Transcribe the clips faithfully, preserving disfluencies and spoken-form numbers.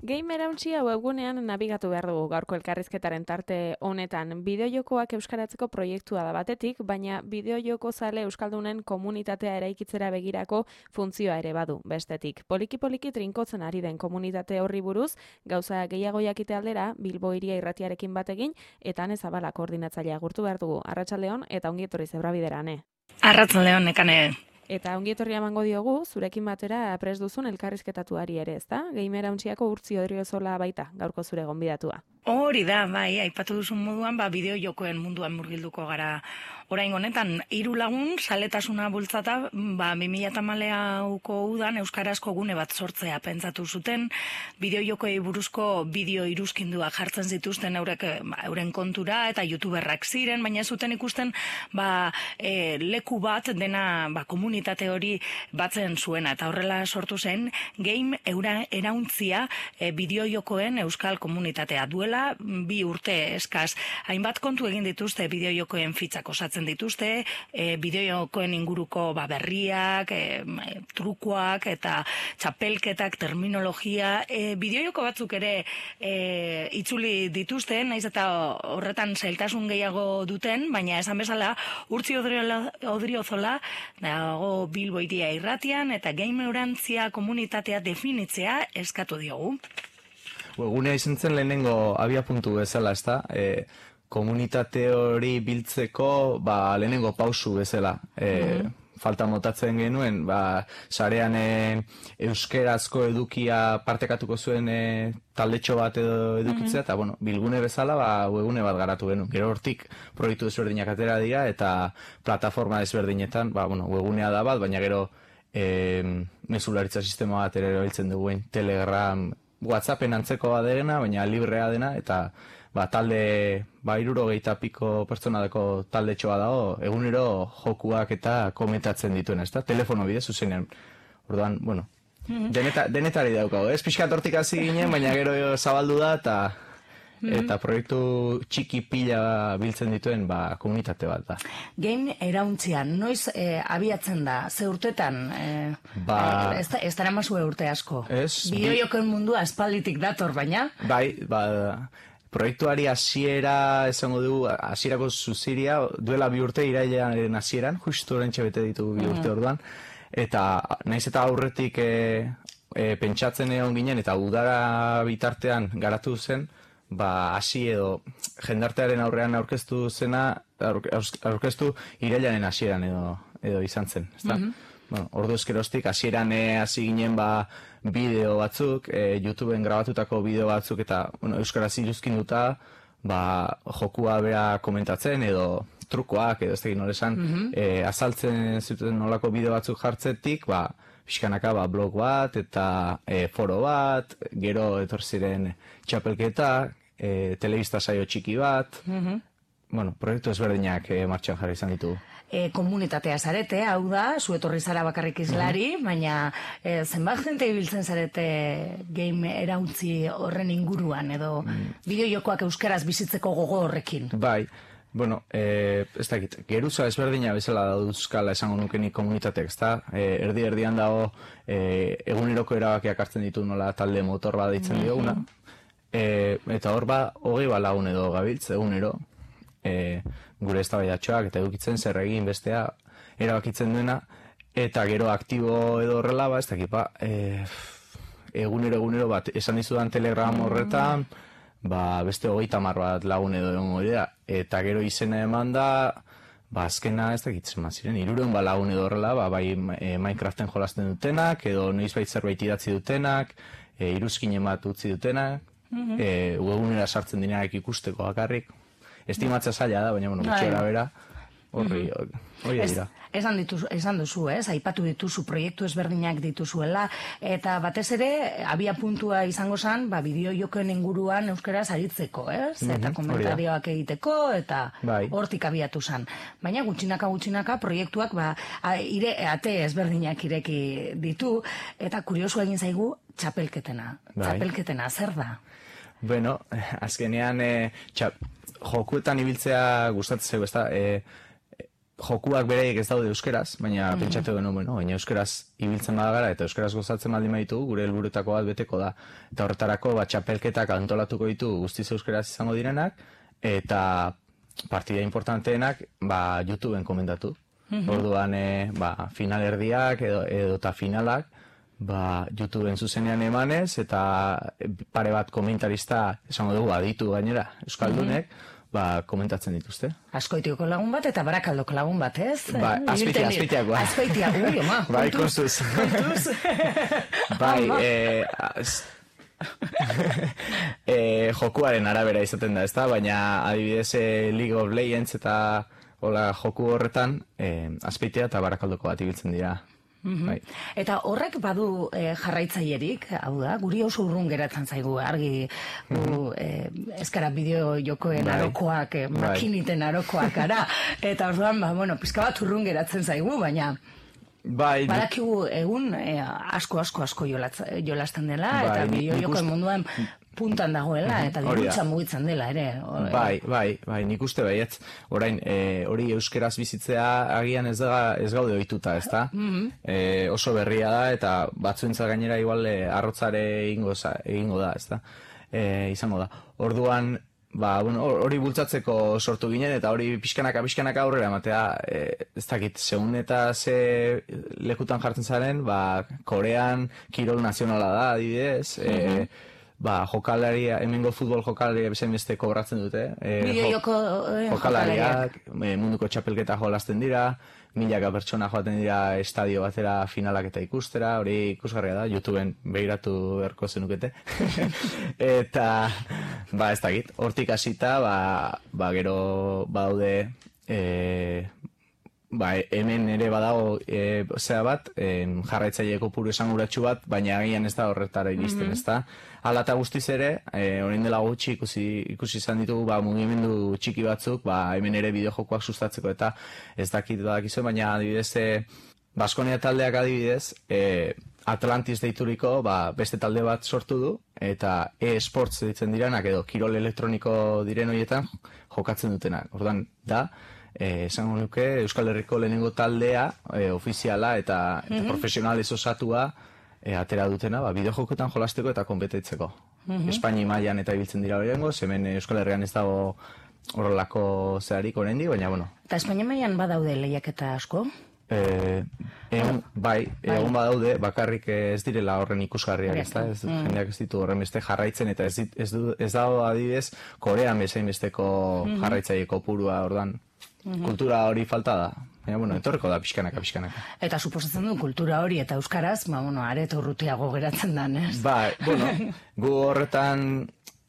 Game Erauntzia webgunean nabigatu behar dugu gaurko elkarrizketaren tarte honetan. Bideojokoak euskaratzeko proiektua da batetik, baina bideojoko zale euskaldunen komunitatea eraikitzera begirako funtzioa ere badu bestetik. Poliki-poliki trinkotzen ari den komunitate horri buruz, gauza gehiago jakite aldera, Bilbo Hiria Irratiarekin bategin, eta Ane Zabala koordinatzailea agurtu behar dugu. Arratsaldeon eta ongi etorri Zebrabidera, Ane. Arratsaldeon, Nekane. Eta ongi etorria emango diogu, zurekin batera prest duzun elkarrizketatuari ere, ezta? Game Erauntsiako Urtzi Odriozola baita, gaurko zure gonbidatua. Hori da, bai, aipatu duzun moduan, ba, bideo jokoen munduan murgilduko gara orain honetan. Hiru lagun, saletasuna bultzata, ba, bi mila hamalauko udan euskarazko gune bat sortzea pentsatu zuten, bideo jokoei buruzko bideo iruzkindua jartzen zituzten eurek, ba, euren kontura, eta youtuberrak ziren, baina ez zuten ikusten, ba, e, leku bat dena, ba, komunitate hori batzen zuena, eta horrela sortu zen, Game Erauntzia e, bideo jokoen euskal komunitatea duela, bi urte eskaz. Hainbat kontu egin dituzte bideojokoen fitzak osatzen dituzte, e, bideojokoen inguruko ba, berriak, e, trukoak eta txapelketak, terminologia, e, bideojoko batzuk ere e, itzuli dituzte, naiz eta horretan zailtasun gehiago duten, baina esan bezala Urtzi Odriozola dago Bilbo Hiria Irratian eta Game Erauntzia komunitatea definitzea eskatu diogu. Webgunea izan zen lehenengo abia puntu bezala, ezta? E, komunitate hori biltzeko ba, lehenengo pausu bezala. E, mm-hmm. Falta motatzen genuen, ba, sarean e, euskerazko edukia partekatuko zuen e, taldetxo bat edo edukitzea, mm-hmm. eta bueno, bilgune bezala ba, webgune bat garatu genuen. Gero hortik proiektu desberdinak atera dira, eta plataforma desberdinetan, ba, bueno, webgunea da bat, baina gero e, mezularitza sistema bat ere erabiltzen duguen, Telegram, WhatsAppen antzeko dena, baina librea dena, eta ba, talde, ba, hirurogeita piko pertsona dako talde txoa dago, egunero jokuak eta komentatzen dituen, ezta? Telefono bidez, zuzenean. Orduan, bueno, deneta, denetari daukago, ez pixkat hortik hasi ginen, baina gero zabaldu da, eta eta proiektu txiki pila biltzen dituen ba, komunitate bat da. Game Erauntzia, noiz eh, abiatzen da, ze urtetan? Eh, ba, eh, ez, ez dara mazue urte asko. Ez, bideojokoen mundua aspalditik dator, baina? Bai, ba, proiektuari hasiera esango dugu, hasierako zuziria, duela bi urte irailaren hasieran, justu orentxe bete ditu bi urte orduan, eta naiz eta aurretik e, e, pentsatzen egon ginen, eta udara bitartean garatu zen, ba, hasi edo jendartearen aurrean aurkeztu zena, aurkeztu irailaren hasieran edo, edo izan zen, ezta? Mm-hmm. Bueno, ordu eskerostik, hasieran hasi ginen ba, bideo batzuk, e, YouTubeen grabatutako bideo batzuk, eta bueno, euskaraz iruzkinduta, ba, jokua bera komentatzen, edo trukoak, edo ez tegin nolesan, mm-hmm. e, azaltzen zuten nolako bideo batzuk jartzetik, ba, pixkanaka ba, blog bat, eta e, foro bat, gero etor ziren txapelketa, e, telebista saio txiki bat, mm-hmm. bueno, proiektu ezberdinak e, martxan jarri izan ditugu. E, komunitatea zarete, hau da, zu etorri zara bakarrik izlari, mm-hmm. baina e, zenbat jente ibiltzen zarete Game Erauntzi horren inguruan, edo mm. bideojokoak euskaraz bizitzeko gogo horrekin? Bai, bueno, e, ez dakit, geruza ezberdina bezala dauzkala esango nukenik komunitateak, ezta? E, erdi-erdian dago e, eguneroko erabakiak hartzen ditu nola talde motor bat ditzen dioguna, e, eta hor ba, hogei balagun edo gabiltz, egunero, e, gure eztabaidatxoak eta edukitzen zer egin bestea erabakitzen duena, eta gero aktibo edo horrela, ba, ez dakit, ba, e, egunero egunero bat, esan dizudan Telegram horretan, ba, beste hogeita hamar bat lagun edo egongo dira, eta gero izena eman da, ba, azkena ez dakitzen ziren, hirurehun ba lagun edo horrela, ba, bai e, Minecraften jolasten dutenak, edo noizbait zerbait idatzi dutenak, e, iruzkinen bat utzi dutenak, mm-hmm. e, webunera sartzen direnak ikusteko bakarrik, estimatza zaila da, baina, bueno, gutxera bera, horri, hori dira. Esan, dituzu, esan duzu, ez? Aipatu dituzu, proiektu ezberdinak dituzuela, eta batez ere, abia puntua izango zen, ba, bideojokoen inguruan euskaraz aritzeko, ez? Mm-hmm, eta komentarioak egiteko, eta bai. Hortik abiatu zen. Baina gutxinaka gutxinaka proiektuak, ba, a, ire, ate ezberdinak ireki ditu, eta kuriosu egin zaigu, txapelketena. Bai. Txapelketena, zer da? Bueno, azkenean, e, txap, jokuetan ibiltzea gustatzen zaigu, ez da, e, jokuak beraiek ez daude euskeraz, baina mm-hmm. pentsatu genuen, bueno, baina euskeraz ibiltzen badagara eta euskeraz gozatzen baldin baditu, gure helburutako bat beteko da. Eta horretarako ba, txapelketak antolatuko ditu guztiz euskeraz izango direnak, eta partida importanteenak ba, YouTubeen komendatu. Mm-hmm. Orduan e, ba, finalerdiak edo, edo ta finalak ba, YouTubeen zuzenean emanez, eta pare bat komentarista esango dugu aditu gainera euskaldunek, mm-hmm. ba, komentatzen dituzte. Azkoitioko lagun bat eta Barakaldoko lagun bat, ez? Ba, azpeitia, azpeitiakoa. Azpeitia, ui, oma. Bai, kontuz. Kontuz. Bai, eh, az... eh, jokuaren arabera izaten da, ezta? Baina adibidez eh, League of Legends eta hola, joku horretan eh, azpeitia eta Barakaldoko bat ibiltzen dira. Mm-hmm. Bai. Eta horrek badu e, jarraitzailerik, hau da, guri oso urrun geratzen zaigu, argi gu, e, ezkara bideo jokoen bai. arokoak, e, makiniten arokoak gara, eta orduan, ba, bueno, pizka bat urrun geratzen zaigu, baina bai, badakigu egun e, asko, asko, asko jolasten dela, bai, eta bideo jokoen munduan puntan dagoela, eta dirutza mugitzen dela, ere. Bai, bai, bai, nik uste baietz, orain, e, hori euskeraz bizitzea agian ez, da, ez gaude ohituta, ez da? Mm-hmm. e, oso berria da, eta batzuentza gainera igual e, arrotzare egingo, egingo da, ez da? E, izango da. Orduan, ba, bueno, hori bultzatzeko sortu ginen, eta hori pixkanaka, pixkanaka aurrera ematea, e, ez dakit, segun eta ze lekutan jartzen zaren, ba, Korean kirol nazionala da, adibidez, mm-hmm. e, ba, jokalaria, hemengo futbol jokalaria bezain beste kobratzen dute. E, Bideo joko eh, jokalariak, e, munduko txapelketa jolasten dira, milaka pertsona joaten dira estadio batera finalak eta ikustera, hori ikusgarria da, YouTubeen behiratu beharko zenukete. Eta, ba, ez dakit, hortik hasita, ba, ba, gero badaude, e, ba, hemen ere badago e, zea bat, e, jarraitzaileeko puru esanguratsu bat, baina agian ez da horretara iristen, mm-hmm. ez da? Hala eta guztiz ere, e, orain dela gutxi ikusi, ikusi izan ditugu ba, mugimendu txiki batzuk, ba, hemen ere bideojokoak sustatzeko eta ez dakit badakizu, baina adibidez, e, Baskonia taldeak adibidez, e, Atlantis deituriko ba, beste talde bat sortu du, eta e-sports ditzen diranak edo kirol elektroniko diren horietan jokatzen dutenak. Orduan, da, Eh, esango nuke Euskal Herriko lehenengo taldea eh, ofiziala eta, eta mm-hmm. profesionalez osatua eh, atera dutena, ba, bideojokotan jolasteko eta konpetitzeko. Mm-hmm. Espaini mailan eta ibiltzen dira horrengo, hemen Euskal Herrian ez dago horrelako zeharik oraindik, baina bueno. Eta Espaini mailan badaude lehiaketa asko? Eh, egun, bai, bai, egun badaude, bakarrik ez direla horren ikusgarriak, ez da, ez, mm. jendeak ez ditu horren beste jarraitzen, eta ez, ez, ez dago adibidez, Korean bezain besteko mm-hmm. jarraitzaileko purua, ordan. Mm-hmm. Kultura hori falta da, baina, bueno, etorreko da pixkanaka, pixkanaka. Eta suposatzen du kultura hori eta euskaraz, ba, bueno, areto urrutiago geratzen dan, ez? Ba, bueno, gu horretan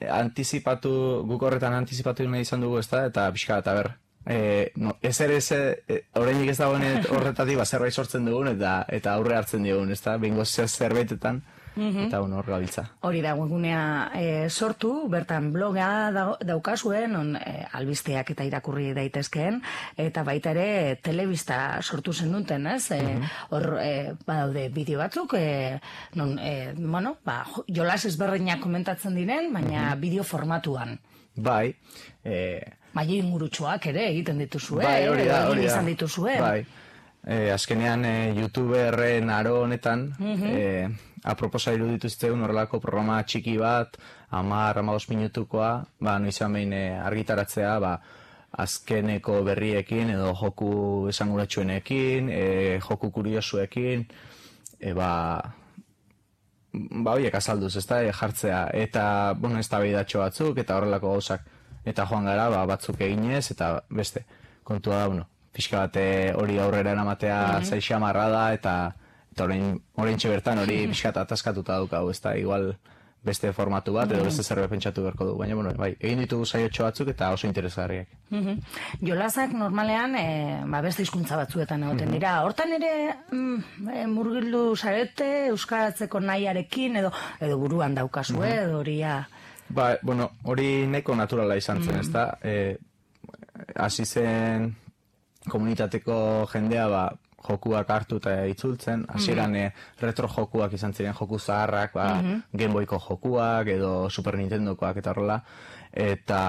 antizipatu, guk horretan antizipatu nahi izan dugu, ez da, eta pixka eta ber. E, no, ez ere ez, e, horreinik ez dagoen horretatik, ba, zerbait sortzen dugun, eta, eta aurre hartzen dugun, ez da, bengo zerbaitetan. Mm-hmm. Eta hor gabiltza. Hori da, webgunea e, sortu, bertan bloga da, daukazuen, on, e, albisteak eta irakurri daitezkeen, eta baita ere telebista sortu zen duten, ez? Hor, mm-hmm. e, badaude bideo batzuk, e, non, e, bueno, ba, jolas ezberdinak komentatzen diren, baina mm-hmm. bideo formatuan. Bai. E... Maile ingurutsuak ere egiten dituzue, bai, hori da, hori da. Izan dituzue. Bai. E, azkenean, e, YouTuberren aro honetan, mm-hmm. e, aproposa iruditu zitzegun horrelako programa txiki bat, hamar, hamabost minutukoa, ba, noizean behin e, argitaratzea, ba, azkeneko berriekin, edo joku esanguratsuenekin, e, joku kuriosuekin, e, ba, ba, horiek azalduz, ez da, e, jartzea, eta, bueno, ez da behidatxo batzuk, eta horrelako gauzak, eta joan gara, ba, batzuk eginez, eta beste, kontua da, bueno, pixka bat hori aurrera eramatea mm-hmm. zaixia marra da, eta eta orain bertan hori pixkat ataskatuta daukagu, ez da, igual beste formatu bat, edo beste zerbait pentsatu beharko du, baina, bueno, bai, egin ditugu saiotxo batzuk eta oso interesgarriak. Mm-hmm. Jolasak normalean, e, ba, beste hizkuntza batzuetan egoten dira, hortan ere mm, e, murgildu zarete, euskaratzeko nahiarekin, edo, edo buruan daukazu, mm-hmm. edo hori, ja. Ba, bueno, hori nahiko naturala izan zen, mm-hmm. ez da, e, hasi zen komunitateko jendea, ba, jokuak hartu eta itzultzen, hasieran mm-hmm. retro jokuak izan ziren, joku zaharrak, ba, mm-hmm. Game Boyko jokuak edo Super Nintendokoak eta horrela, eta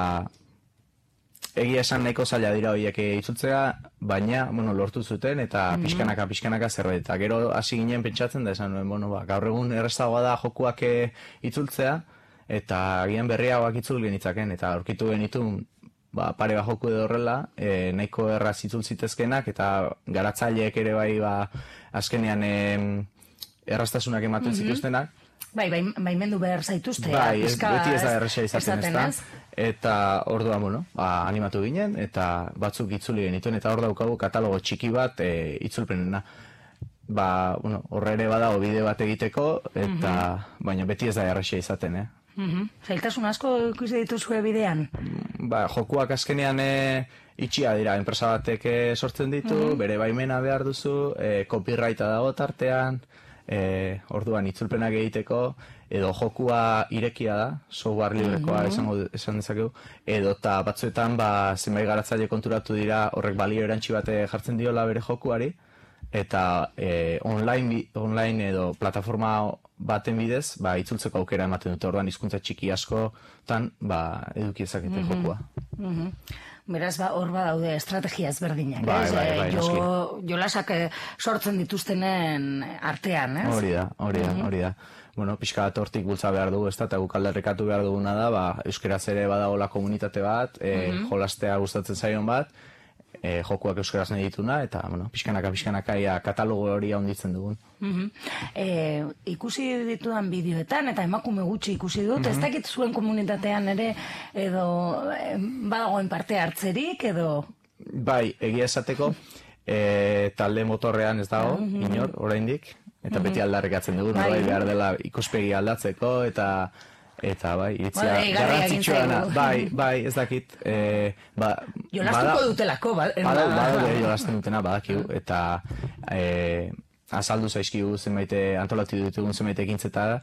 egia esan nahiko zaila dira horiek itzultzea, baina, bueno, lortu zuten, eta Mhm. pixkanaka, pixkanaka zerbait. Eta gero hasi ginen pentsatzen da, esan nuen, bueno, ba, gaur egun errazagoa da jokuak eh, itzultzea, eta agian berriagoak itzul genitzaken, eta aurkitu genitu, ba, pare bat joku edo horrela, e, nahiko erraz itzul zitezkenak, eta garatzaileek ere bai, ba, azkenean em, erraztasunak ematen zituztenak. Bai, bai, baimendu behar zaituzte. Bai, ez, pixka, beti ez da ez- erresa izaten ez esaten, da. ez? Eta orduan, bueno, ba, animatu ginen, eta batzuk itzuli genituen, eta hor daukagu katalogo txiki bat e, itzulpenena. Ba, bueno, horre ere badago bideo bat egiteko, eta baina beti ez da erresa izaten, eh? Mhm. Zailtasun asko ikusi dituzue bidean? Ba, jokuak azkenean e, itxia dira, enpresa batek e, sortzen ditu, bere baimena behar duzu, e, copyrighta dago tartean, e, orduan itzulpenak egiteko, edo jokua irekia da, software librekoa esango esan dezakegu, edo eta batzuetan ba, zenbait garatzaile konturatu dira horrek balio erantsi bate jartzen diola bere jokuari, eta e, online, bi- online edo plataforma baten bidez, ba, itzultzeko aukera ematen dute, orduan hizkuntza txiki askotan ba, eduki ezakete jokua. Mhm. Beraz, ba, hor badaude estrategia ezberdinak, Bai, ez? bai, Eh, bai, jo, jolasak eh, sortzen dituztenen artean, ez? Hori da, hori da, hori da. Bueno, pixka bat hortik bultza behar dugu, ez da, eta guk aldarrikatu behar duguna da, ba, euskeraz ere badagola komunitate bat, e, jolastea gustatzen zaion bat, e, jokuak euskeraz nahi dituna, eta, bueno, pixkanaka, pixkanaka, ia katalogo hori handitzen dugun. Mhm. Eh, ikusi ditudan bideoetan, eta emakume gutxi ikusi dut, ez dakit zuen komunitatean ere, edo eh, badagoen parte hartzerik, edo... Bai, egia esateko, e, talde motorrean ez dago, inor, oraindik, eta beti aldarrikatzen dugu, Bai. bai, behar dela ikuspegi aldatzeko, eta eta bai, iritzia Bai, deigarria egin garrantzitsua dena. zaigu. Bai, bai, ez dakit, e, ba, Jolastuko bada- dutelako, ba, Badau, ba- badau jolasten dutena, badakigu, eta e, azaldu zaizkigu zenbait antolatu ditugun zenbait ekintzetara,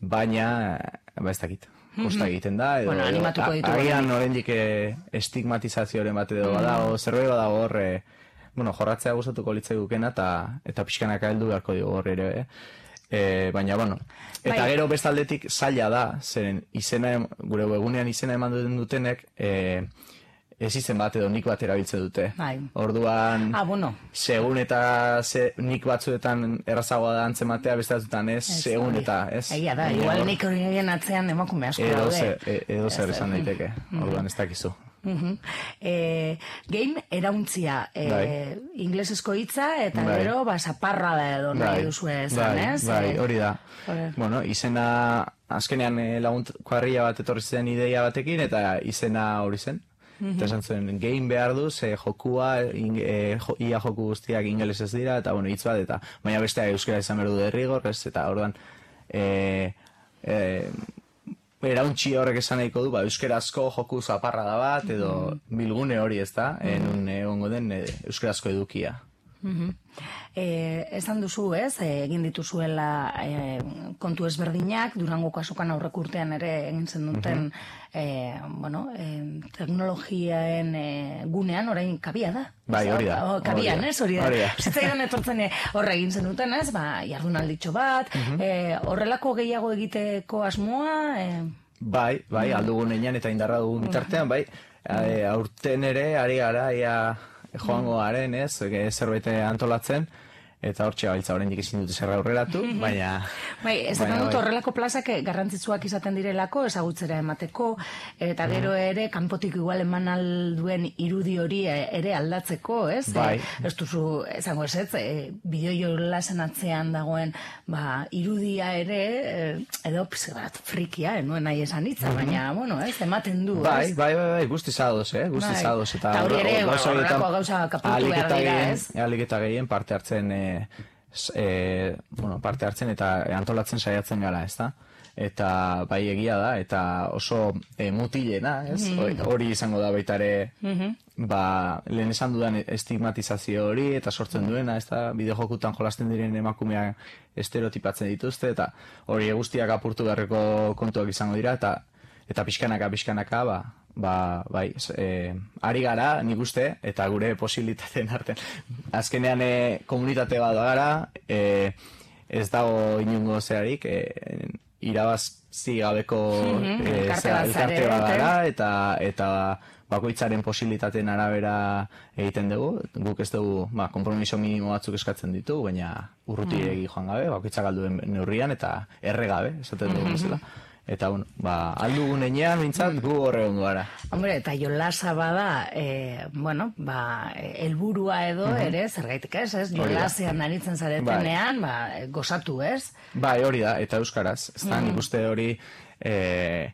baina, ba ez dakit, kosta egiten da, edo, Bueno, animatuko a- ditugu. agian oraindik e, estigmatizazioaren bat edo badago, zerbait badago hor, e, bueno, jorratzea gustatuko litzaigukena, eta, eta pixkanaka heldu beharko digu hor ere, eh? E, baina, bueno, eta Bai. gero bestaldetik zaila da, zeren izena, em- gure webgunean izena eman duten dutenek, e, ez izen bat edo nik bat erabiltzen dute. Bai. Orduan, Ah, bueno. segun eta ze, nik batzuetan errazagoa da antzematea, beste batzuetan ez, segun hori. eta ez. Egia da, Baina igual hor- nik horien atzean emakume asko Edo daude. zer, e- edo zer esan daiteke, orduan ez dakizu. Mhm. Eh, game erauntzia, eh, Bai. inglesezko hitza, eta Bai. gero, ba, zaparra da edo nahi duzue esan, bai, ez? bai, Eh, hori da. hori. Bueno, izena, azkenean eh, lagunt kuadrilla bat etorri zen ideia batekin, eta izena hori zen. Eta esan zuen, game behar du, ze jokua, in, e, jo, ia joku guztiak ingelesez dira, eta bueno, hitz bat, eta baina bestea euskara izan behar du derrigor, ez, eta orduan, e, e, erauntxi horrek esan nahiko du, ba, euskerazko joku zaparra da bat, edo bilgune hori ez da, enun egongo den e, euskerazko edukia. Mhm. Eh, esan duzu, ez, eh, egin dituzuela eh, kontu ezberdinak, Durangoko azokan aurreko urtean ere egin zen duten, eh, bueno, eh, teknologiaen eh, gunean orain kabia da. Bai, hori da, Oh, kabian, hori da, ez, hori da. hori da. Zitzaidan etortzen eh, horre egin zen duten, ez, ba, jardunalditxo bat, eh, horrelako gehiago egiteko asmoa, eh, Bai, bai, aldugun einan eta indarra dugun bitartean, bai, e, aurten ere, ari gara, ia joango garen, ez, e, zerbait antolatzen, eta hortxe gabiltza oraindik ezin dute zer aurreratu, baina... Bai, esaten baina dut bai. horrelako plazak garrantzitsuak izaten direlako, ezagutzera emateko, eta gero ere, kanpotik igual eman alduen irudi hori ere aldatzeko, ez? Bai. E, ez duzu, esango ez ez, e, bideo jolasen atzean dagoen, ba, irudia ere, e, edo pse bat frikia, nuen nahi esan hitza, baina, bueno, ez, ematen du, Bai, ez? bai, bai, bai, guztiz ados, eh, guztiz Bai. ados. Eta Eta hori hor- ere, hor- gauza horrelako horietan gauza kapultu ahalik behar eta dira, gehien- ez? ahalik eta gehien parte hartzen, e, s- e, bueno, parte hartzen eta antolatzen saiatzen gara, ezta? Eta bai egia da, eta oso e, mutilena, ez? Hori- Hori izango da baita ere, ba, lehen esan dudan estigmatizazio hori, eta sortzen duena, ez da, bideojokutan jolasten diren emakumeak estereotipatzen dituzte, eta hori guztiak apurtu beharreko kontuak izango dira, eta eta pixkanaka, pixkanaka, ba, ba, bai, e, ari gara, nik uste, eta gure posibilitateen artean. Azkenean e, komunitate bat gara, e, ez dago inungo zerarik, e, irabazi gabeko Mhm, e, elkarte zera- bat elkarte zarete. bat gara, eta, eta bakoitzaren posibilitateen arabera egiten dugu, guk ez dugu, ba, konpromiso minimo batzuk eskatzen ditu, baina urrutiregi joan gabe, bakoitzak alduen neurrian, eta erre gabe, esaten dugu bezala. Eta, bueno, ba, aldugun enean, bintzat, gu horre ondo gara. Hombre, eta jolasa bada, e, bueno, ba, helburua edo uh -huh. ere, zergaitik ez, ez? Jolasean aritzen zaretenean, ba, gozatu, ez? Bai, hori da, eta euskaraz. Ez da, nik uste hori e,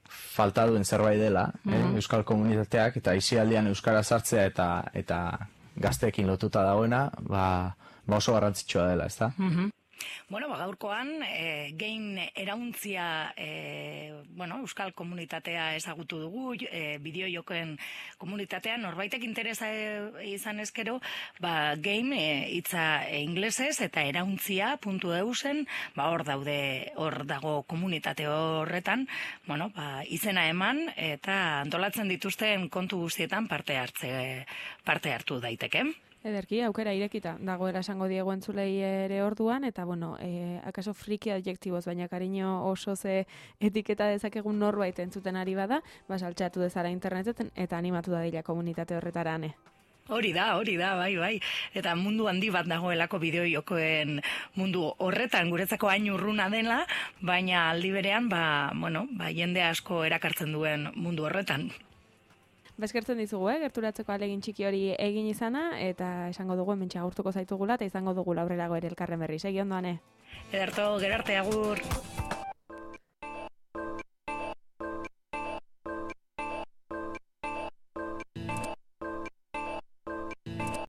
falta duen zerbait dela, uh -huh. eh, euskal komunitateak, eta isialdian euskara sartzea eta eta gazteekin lotuta dagoena, ba, ba oso garrantzitsua dela, ez da? Uh -huh. Bueno, ba, gaurkoan, e, game erauntzia, e, bueno, euskal komunitatea ezagutu dugu, e, bideojokoen komunitatea, norbaitek interesa e, izan ezkero, ba, game e, hitza e, inglesez eta erauntzia puntu eu zen, ba, hor daude, hor dago komunitate horretan, bueno, ba, izena eman eta antolatzen dituzten kontu guztietan parte hartze, parte hartu daiteke. Ederki, aukera irekita dagoela esango diegu entzulei ere orduan, eta bueno, e, akaso friki adjektiboz, baina kariño oso ze etiketa dezakegun norbait entzuten ari bada, ba, saltxatu dezara interneten, eta animatu da dila komunitate horretarane. Hori da, hori da, bai, bai. Eta mundu handi bat dagoelako bideojokoen mundu horretan, guretzako hain urruna dela, baina aldi berean, ba, bueno, ba, jende asko erakartzen duen mundu horretan. Bezkertzen dizugu, eh? Gerturatzeko alegin txiki hori egin izana, eta esango dugu hementxe agurtuko zaitugula, eta izango dugu aurrerago ere elkarren berri. Segi ondoan, eh? Ederto, gerarte agur.